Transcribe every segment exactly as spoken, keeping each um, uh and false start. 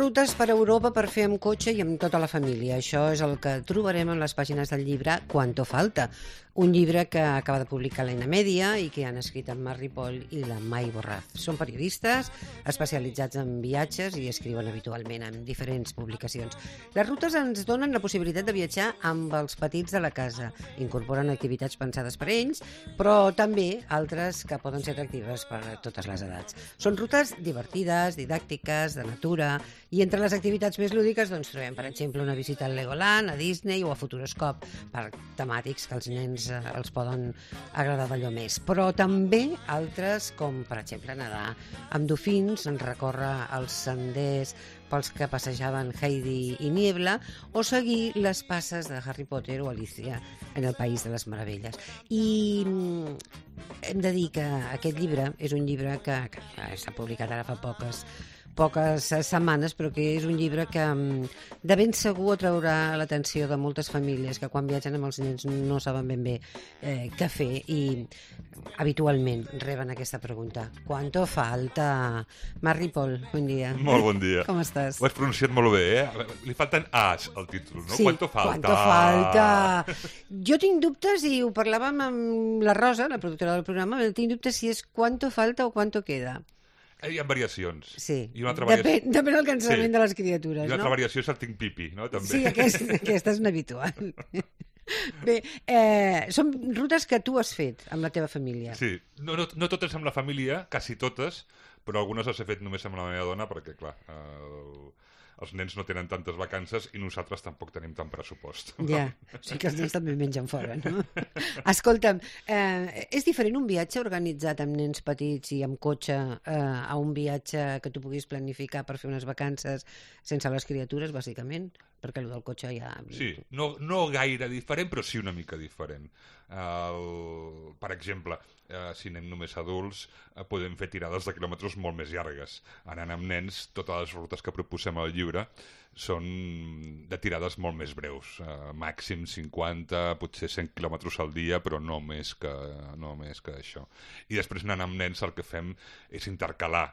rutes per Europa per fer amb cotxe i amb tota la família. Això és el que trobarem en les pàgines del llibre Cuánto falta, un llibre que acaba de publicar l'Eina Mèdia i que han escrit en Marc Ripoll i la Mai Borraz. Són periodistes especialitzats en viatges i escriuen habitualment en diferents publicacions. Les rutes ens donen la possibilitat de viatjar amb els petits de la casa. Incorporen activitats pensades per ells, però també altres que poden ser atractives per a totes les edats. Són rutes divertides, didàctiques, de natura, i entre les activitats més lúdiques doncs, trobem, per exemple, una visita al Legoland, a Disney o a Futuroscope, per temàtics que els nens els poden agradar d'allò més. Però també altres, com per exemple nedar amb dofins, recórrer els senders pels que passejaven Heidi i Niebla, o seguir les passes de Harry Potter o Alicia en el País de les Meravelles. I hem de dir que aquest llibre és un llibre que, que s'ha publicat ara fa poques poques setmanes, però que és un llibre que de ben segur atraurà l'atenció de moltes famílies que quan viatgen amb els nens no saben ben bé eh, què fer i habitualment reben aquesta pregunta. ¿Cuánto falta? Marc Ripoll, bon dia. Molt bon dia. Com estàs? Ho has pronunciat molt bé, eh? Li falten A's al títol, no? Sí, ¿Cuánto falta? ¿Cuánto falta? Jo tinc dubtes, i ho parlàvem amb la Rosa, la productora del programa, tinc dubtes si és ¿cuánto falta o cuánto queda? Hi ha variacions. Sí, I una altra variació... depèn, depèn del cansament sí. de les criatures, I no? una altra variació és el tinc pipi, no? També. Sí, aquest, aquesta és una habitual. Bé, eh, són rutes que tu has fet amb la teva família. Sí, no, no, no totes amb la família, quasi totes, però algunes les he fet només amb la meva dona, perquè, clar, eh, els nens no tenen tantes vacances i nosaltres tampoc tenim tant pressupost. Ja, o sigui que els nens també mengen fora, no? Escolta'm, eh, és diferent un viatge organitzat amb nens petits i amb cotxe eh, a un viatge que tu puguis planificar per fer unes vacances sense les criatures, bàsicament? Perquè el del cotxe ja... Sí, no, no gaire diferent, però sí una mica diferent. El, per exemple, eh, si anem només adults, eh, podem fer tirades de quilòmetres molt més llargues. Anant amb nens, totes les rutes que proposem al llibre són de tirades molt més breus. Eh, màxim cinquanta, potser cent quilòmetres al dia, però no més que, no més que això. I després anant amb nens el que fem és intercalar,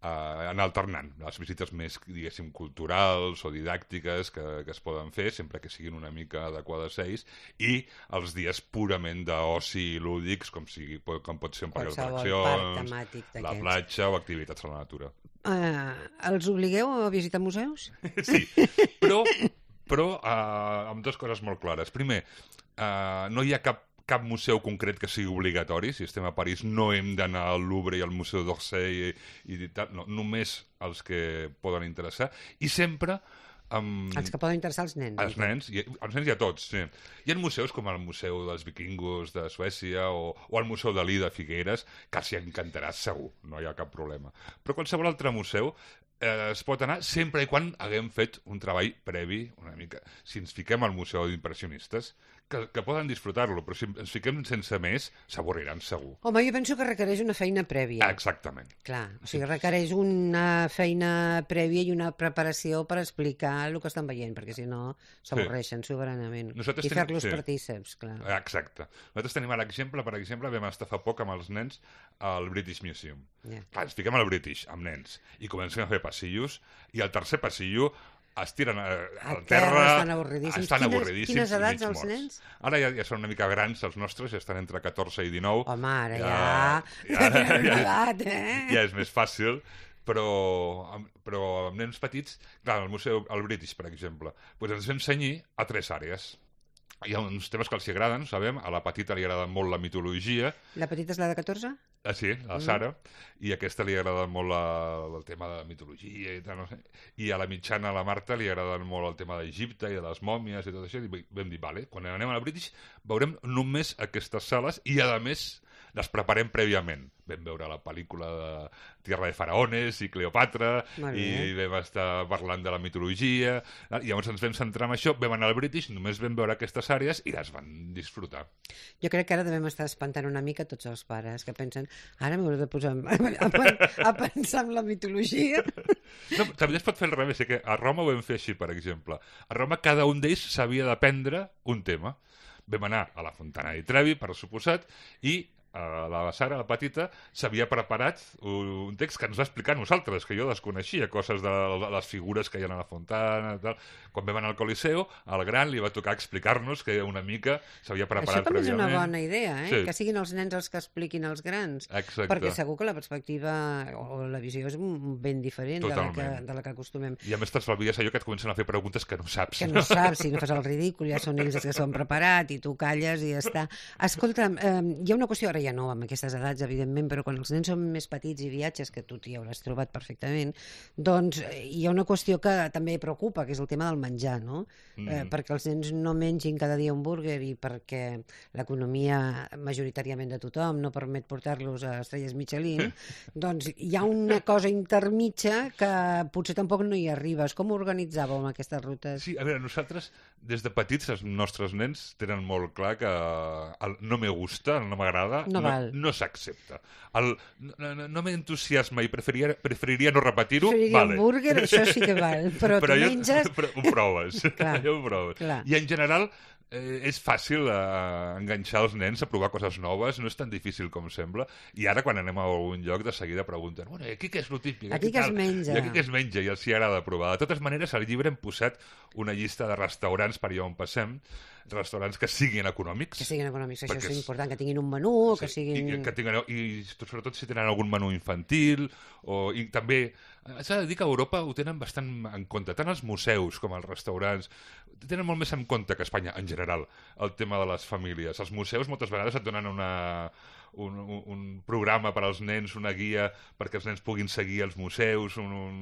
Uh, anar alternant les visites més, diguéssim, culturals o didàctiques que, que es poden fer, sempre que siguin una mica adequades a ells, i els dies purament d'oci i lúdics, com, sigui, com pot ser un parc d'atraccions, la platja o activitats a la natura. Uh, els obligueu a visitar museus? Sí, però, però uh, amb dues coses molt clares. Primer, uh, no hi ha cap cap museu concret que sigui obligatori. Si estem a París no hem d'anar al Louvre i al Museu d'Orsay i, i tal, no, només els que poden interessar, i sempre Um, els que poden interessar als nens. Els nens, i, els nens i a tots, sí. Hi ha museus com el Museu dels Vikingos de Suècia o, o el Museu Dalí de Figueres, que s'hi encantarà segur, no hi ha cap problema. Però qualsevol altre museu eh, es pot anar sempre i quan haguem fet un treball previ, una mica. Si ens fiquem al Museu d'Impressionistes, que, que poden disfrutar-lo, però si ens fiquem sense més, s'avorriran segur. Home, jo penso que requereix una feina prèvia. Exactament. Clar, o sigui, requereix una feina prèvia i una preparació per explicar el que estan veient, perquè si no s'avorreixen sí. soberanament. Nosaltres I tenim... fer-los sí. partíceps, clar. Exacte. Nosaltres tenim l'exemple, per exemple, vam estar fa poc amb els nens al British Museum. Yeah. Clar, ens fiquem al British, amb nens, i comencem a fer passillos, i al tercer passillo es tiren a, a, a terra... Estan avorridíssims. Estan quines, avorridíssims quines edats els nens? Ara ja, ja són una mica grans els nostres, ja estan entre catorze i dinou. Home, ara ja... Ja, ja, ja, ja, edat, eh? ja és més fàcil, però, però amb nens petits, clar, al museu, al British, per exemple, doncs ens vam cenyir a tres àrees. Hi ha uns temes que els agraden, sabem, a la petita li agrada molt la mitologia. La petita és la de catorze? Ah, sí, la Sara, mm. i a aquesta li agrada molt la, el tema de la mitologia i tal, no sé. I a la mitjana, a la Marta, li agrada molt el tema d'Egipte i de les mòmies i tot això, i vam dir, vale, quan anem a la British veurem només aquestes sales i, a més, les preparem prèviament. Vam veure la pel·lícula de Tierra de Faraones i Cleopatra, i vam estar parlant de la mitologia, i llavors ens vam centrar en això, vam anar al British, només vam veure aquestes àrees i les van disfrutar. Jo crec que ara devem estar espantant una mica tots els pares que pensen, ara m'hauré de posar a, a, a pensar en la mitologia. No, també es pot fer al revés, que a Roma ho vam fer així, per exemple. A Roma cada un d'ells s'havia d'aprendre un tema. Vam anar a la Fontana di Trevi, per suposat, i Uh, la Sara, la petita, s'havia preparat un text que ens va explicar a nosaltres, que jo desconeixia, coses de les figures que hi ha a la fontana, tal. Quan vam anar al Coliseu, al gran li va tocar explicar-nos que una mica s'havia preparat prèviament. Això també és una bona idea, eh? Sí. Que siguin els nens els que expliquin als grans. Exacte. Perquè segur que la perspectiva o la visió és ben diferent de la, que, de la que acostumem. I a més t'estalvies allò que et comencen a fer preguntes que no saps. Que no saps, si no fas el ridícul, ja són ells els que s'ho han preparat i tu calles i ja està. Escolta'm, eh, hi ha una qüestió, ara ja no, amb aquestes edats, evidentment, però quan els nens són més petits i viatges, que tu t'hi hauràs trobat perfectament, doncs hi ha una qüestió que també preocupa, que és el tema del menjar, no? Mm. Eh, perquè els nens no mengin cada dia un burger i perquè l'economia majoritàriament de tothom no permet portar-los a estrelles Michelin, doncs hi ha una cosa intermitja que potser tampoc no hi arribes. Com organitzàveu amb aquestes rutes? Sí, a veure, nosaltres, des de petits, els nostres nens tenen molt clar que el no me gusta, el no m'agrada, no, no, no s'accepta. El no, no, no m'entusiasma i preferiria, preferiria no repetir-ho, preferiria vale. un burger, això sí que val, però, però tu jo, menges... Però ho proves, clar, ho proves. Clar. I en general eh, és fàcil eh, enganxar els nens a provar coses noves, no és tan difícil com sembla, i ara quan anem a algun lloc de seguida pregunten, bueno, aquí què és lo típic? Aquí què es menja? I aquí què es menja? I els hi agrada provar. De totes maneres, al llibre hem posat una llista de restaurants per allà on passem, restaurants que siguin econòmics. Que siguin econòmics, això és és important, que tinguin un menú, sí, que siguin... I, que tinguin, i sobretot si tenen algun menú infantil, o, i també s'ha de dir que a Europa ho tenen bastant en compte, tant els museus com els restaurants, tenen molt més en compte que a Espanya, en general, el tema de les famílies. Els museus moltes vegades et donen una... Un, un, un programa per als nens, una guia perquè els nens puguin seguir els museus un, un,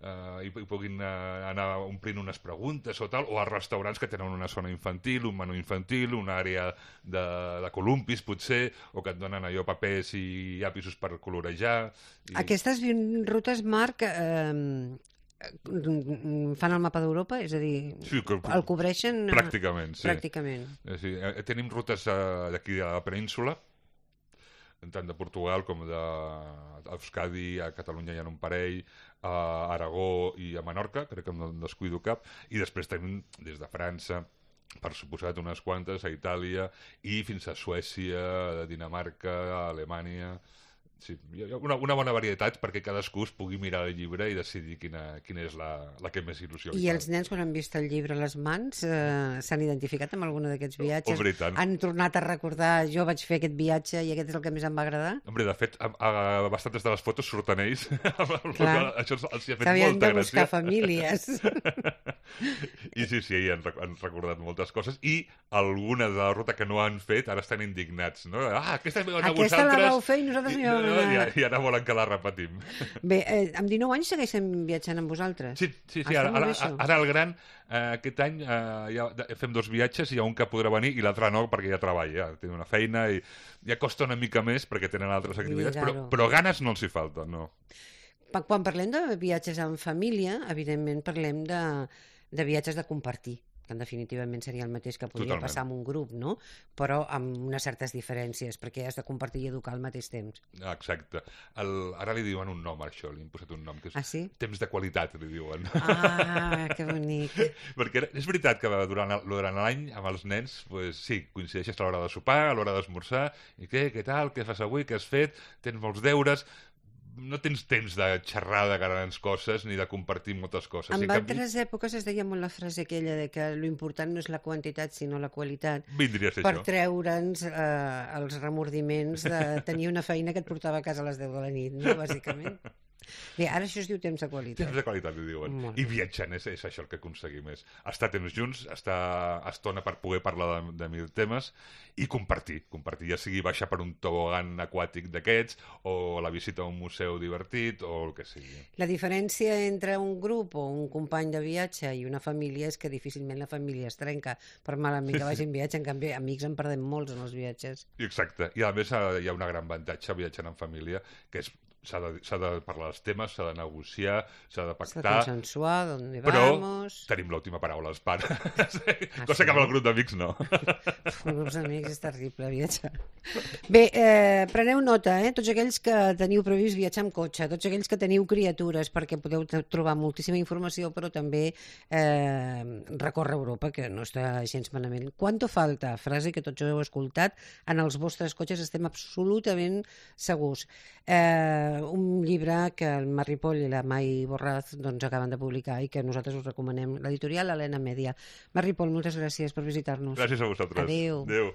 uh, i, i puguin uh, anar omplint unes preguntes o tal, o als restaurants que tenen una zona infantil, un menú infantil, una àrea de, de columpis potser, o que et donen allò papers i llapisos per colorejar. I... Aquestes vint rutes, Marc, eh, fan el mapa d'Europa? És a dir, sí, que, el cobreixen? Pràcticament, sí. Pràcticament. Sí, tenim rutes uh, d'aquí de la península, tant de Portugal com d'Euskadi, a Catalunya hi ha un parell, a Aragó i a Menorca, crec que no en descuido cap, i després tenim des de França, per suposat unes quantes, a Itàlia, i fins a Suècia, a Dinamarca, a Alemanya... Sí, hi ha una, una bona varietat perquè cadascú es pugui mirar el llibre i decidir quina, quina és la, la que més il·lusió li fa. I els nens, quan han vist el llibre a les mans, eh, s'han identificat amb alguna d'aquests viatges? Hombre, tant. Han tornat a recordar, jo vaig fer aquest viatge i aquest és el que més em va agradar? Hombre, de fet, a, a, bastantes de les fotos surten ells. Clar, això els, els hi ha fet s'havien molta de buscar gràcia. Famílies. I sí, sí, han, han recordat moltes coses i alguna de la ruta que no han fet ara estan indignats, no? Ah, aquesta, aquesta vosaltres... la vau fer i nosaltres I, no hi vam no, anar. I, i ara volen que la repetim. Bé, eh, amb dinou anys segueixen viatjant amb vosaltres? Sí, sí, sí. Ara, ara, ara el gran, eh, aquest any eh, ja fem dos viatges, hi ha un que podrà venir i l'altre no, perquè ja treballa, ja té una feina i ja costa una mica més perquè tenen altres activitats, però, però ganes no els hi falten, no. Quan parlem de viatges en família, evidentment parlem de, de viatges de compartir, que definitivament seria el mateix que podria Totalment. Passar amb un grup, no? Però amb unes certes diferències, perquè has de compartir i educar al mateix temps. Exacte. El, ara li diuen un nom a això, li han posat un nom, que és ah, sí? temps de qualitat, li diuen. Ah, que bonic. Perquè és veritat que durant, durant l'any amb els nens, pues, sí, coincideixes a l'hora de sopar, a l'hora d'esmorzar, i què, què tal, què fas avui, què has fet, tens molts deures... no tens temps de xerrar de grans coses ni de compartir moltes coses. En I altres canvi... èpoques es deia molt la frase aquella de que l'important no és la quantitat sinó la qualitat. Vindria a ser per això. treure'ns eh, els remordiments de tenir una feina que et portava a casa a les deu de la nit, no? Bàsicament. Bé, ara això es diu temps de qualitat. Temps de qualitat, li diuen. Molt I viatjant, és, és això el que aconseguim. És estar temps junts, estar estona per poder parlar de, de mil temes i compartir. Compartir, ja sigui baixar per un tobogan aquàtic d'aquests o la visita a un museu divertit o el que sigui. La diferència entre un grup o un company de viatge i una família és que difícilment la família es trenca per malament que vagi en viatge. En canvi, amics en perdem molts en els viatges. Exacte. I a més hi ha un gran avantatge viatjant en família, que és s'ha de, s'ha de parlar dels temes, s'ha de negociar, s'ha de S'ha de pactar, consensuar, ¿dónde però vamos? tenim l'última paraula als pares. Ah, Cosa sí? que amb el grup d'amics no. Amb grups d'amics és terrible viatjar. Bé, eh, preneu nota, eh? Tots aquells que teniu previst viatjar amb cotxe, tots aquells que teniu criatures, perquè podeu t- trobar moltíssima informació, però també eh, recórrer Europa, que no està gens malament. Quanto falta? Frase que tots heu escoltat. En els vostres cotxes estem absolutament segurs. Eh, un llibre que el Mar Ripoll i la Mai Borraz doncs, acaben de publicar i que nosaltres us recomanem. L'editorial Helena Media. Mar Ripoll, moltes gràcies per visitar-nos. Gràcies a vosaltres. Adéu. Adéu.